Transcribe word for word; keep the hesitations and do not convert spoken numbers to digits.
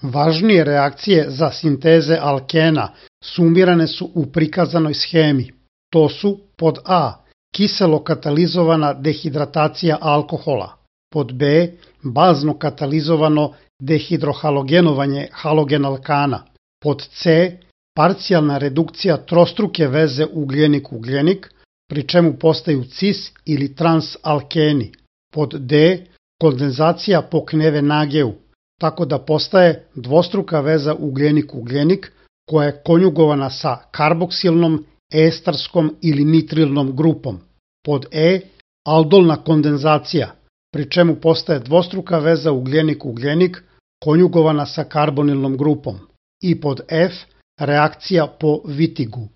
Važnije reakcije za sinteze alkena sumirane su u prikazanoj shemi. To su pod A. Kiselo katalizovana dehidratacija alkohola, pod B. Bazno katalizovano dehidrohalogenovanje halogen alkana, pod C. Parcijalna redukcija trostruke veze ugljenik-ugljenik, pri čemu postaju cis ili trans alkeni, pod D. Kondenzacija po Kneve-Nageu, tako da postaje dvostruka veza ugljenik-ugljenik koja je konjugovana sa karboksilnom, estarskom ili nitrilnom grupom. Pod E. Aldolna kondenzacija, pri čemu postaje dvostruka veza ugljenik-ugljenik konjugovana sa karbonilnom grupom. I pod F. Reakcija po Wittigu.